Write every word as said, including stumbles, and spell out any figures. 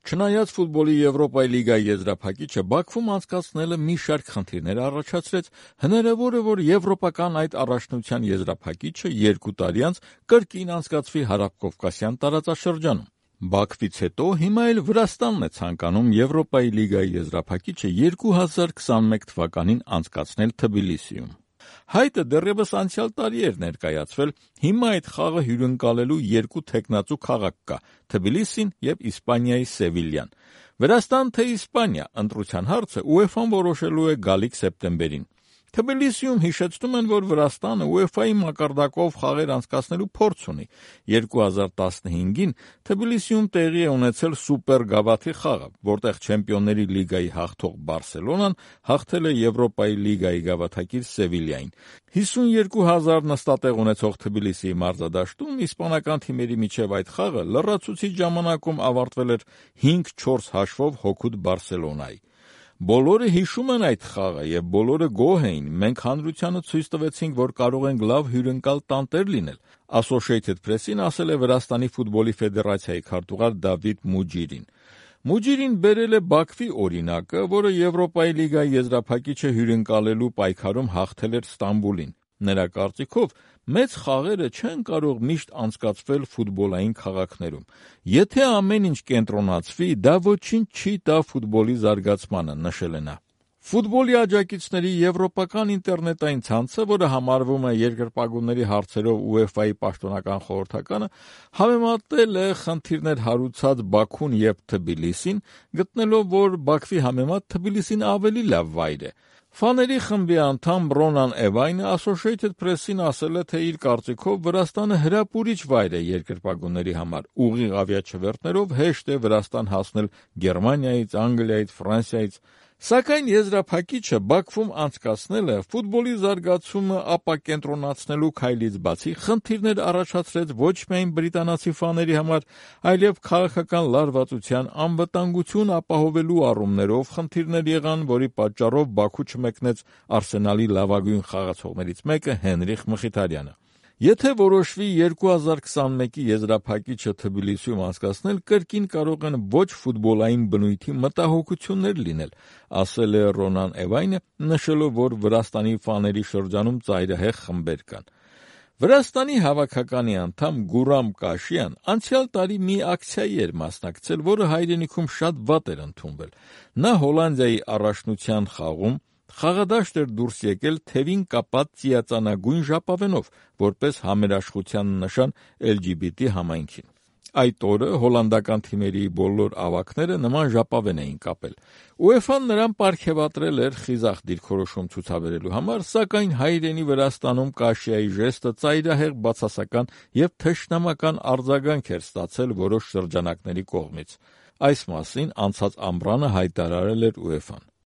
Չնայած ֆուտբոլի Եվրոպայի լիգայի եզրափակիչը Բաքվում անցկացնելը մի շարք խնդիրներ առաջացրեց, հնարավոր է, որ եվրոպական այդ առաջնության եզրափակիչը երկու տարի անց կրկին անցկացվի հարավկովկասյան տարածաշրջանում։ Բաքվից հետո հիմա էլ Վրաստանն է ցանկանում Եվրոպայի լիգայի եզրափակիչը երկու հազար քսաներեք թվականին անցկացնել Թբիլիսիում։ Հայտը դեռևս անցյալ տարի էր ներկայացվել, հիմա այդ խաղը հյուրընկալելու երկու թեկնածու քաղաք կա՝ Թբիլիսին և Իսպանիայի Սևիլյան։ Վրաստան թե Իսպանիա, ընտրության հարցը ՈՒԵՖԱ-ն որոշելու է գալիք սեպտեմբերին։ Թբիլիսիում հիշեցնում են, որ Վրաստանը ՈՒԵՖԱ-ի մակարդակով խաղեր անցկացնելու փորձ ունի։ երկու հազար տասնհինգին Թբիլիսիում տեղի է ունեցել Սուպեր Գավաթի խաղը, որտեղ Չեմպիոնների լիգայի հաղթող Բարսելոնան հաղթել է Եվրոպայի լիգայի գավաթակիր Սևիլյային։ հիսունյոթ հազար նստատեղ ունեցող Թբիլիսիի մարզադաշտում իսպանական թիմերի միջև այդ խաղը լրացուցիչ ժամանակում ավարտվել էր հինգ չորս հաշվով հօգուտ Բարսելոնայի։ Բոլորը հիշում են այդ խաղը և բոլորը գոհ էին։ Մենք հանրությանը ցույց տվեցինք, որ կարող ենք լավ հյուրընկալ տանտեր լինել, Associated Press-ին ասել է Վրաստանի ֆուտբոլի ֆեդերացիայի քարտուղար Դավիթ Մուջիրին։ Մուջիրին բերել է Բաքվի օրինակը, որը Եվրոպայի լիգայի եզրափակիչը հյուրընկալելու պայքարում հաղթել էր Ստամբուլին։ Նրա կարծիքով մեծ խաղերը չեն կարող միշտ անցկացվել ֆուտբոլային քաղաքներում։ Եթե ամեն ինչ կենտրոնացվի, դա ոչինչ չի տա ֆուտբոլի զարգացմանը, նշել է նա։ Ֆուտբոլի աջակիցների եվրոպական ինտերնետային ցանցը, որը համարվում է երկրպագուների հարցերով ՈՒԵՖԱ-ի պաշտոնական խորհրդականը, համեմատել է խնդիրներ հարուցած Բաքուն և Թբիլիսին, գտնելով, որ Բաքվի համեմատ Թբիլիսին ավելի լավ վայր է։ Ֆաների խմբի անդամ Ռոնան Էվայնը Associated Press-ին ասել է, թե իր կարծիքով Վրաստանը հրապուրիչ վայր է երկրպագուների համար։ Ուղիղ ավիաչվերթներով հեշտ է Վրաստան հասնել Գերմանիայից, Անգլիայից, Ֆրանսիայից։ Սակայն եզրափակիչը Բաքվում անցկացնելը ֆուտբոլի զարգացումը ապակենտրոնացնելու քայլից բացի խնդիրներ առաջացրեց ոչ միայն բրիտանացի ֆաների համար, այլև քաղաքական լարվածության անվտանգություն ապահովելու առումներով խնդիրներ եղան, որի պատճառով Բաքու չմեկնեց Արսենալի լավագույն խաղացողներից մեկը Հենրիխ Մխիթարյանը։ Եթե որոշվի երկու հազար քսաներեքի եզրափակիչը Թբիլիսիում անցկացնել, կրկին կարող են ոչ ֆուտբոլային բնույթի մտահոգություններ լինել, ասել է Ռոնան Էվայնը, նշելով, որ Վրաստանի ֆաների շրջանում ծայրահեղ խմբեր կան։ Վրաստանի հավաքականի անդամ Գուրամ Կաշյան անցյալ տարի մի ակցիայի էր մասնակցել, որը հայրենիքում շատ վատ էր ընդունվել։ Նա Հոլանդիայի առաջնության խաղում խաղադաշտ էր դուրս եկել թևին կապած ծիածանագույն ժապավենով, որպես համերաշխության նշան L G B T համայնքին։ Այդ օրը հոլանդական թիմերի բոլոր ավագները նման ժապավեն էին կապել։ ՈՒԵՖԱ-ն նրան պարգևատրել էր խիզախ դիրքորոշում ցուցաբերելու համար, սակայն հայրենի Վրաստանում Կաշիայի ժեստը ծայրահեղ բացասական և թշնամական արձագանք էր ստացել որոշ շրջանակների կողմից։ Այս մասին անցած ամռանը հայտարարել էր ՈՒԵՖԱ-ն։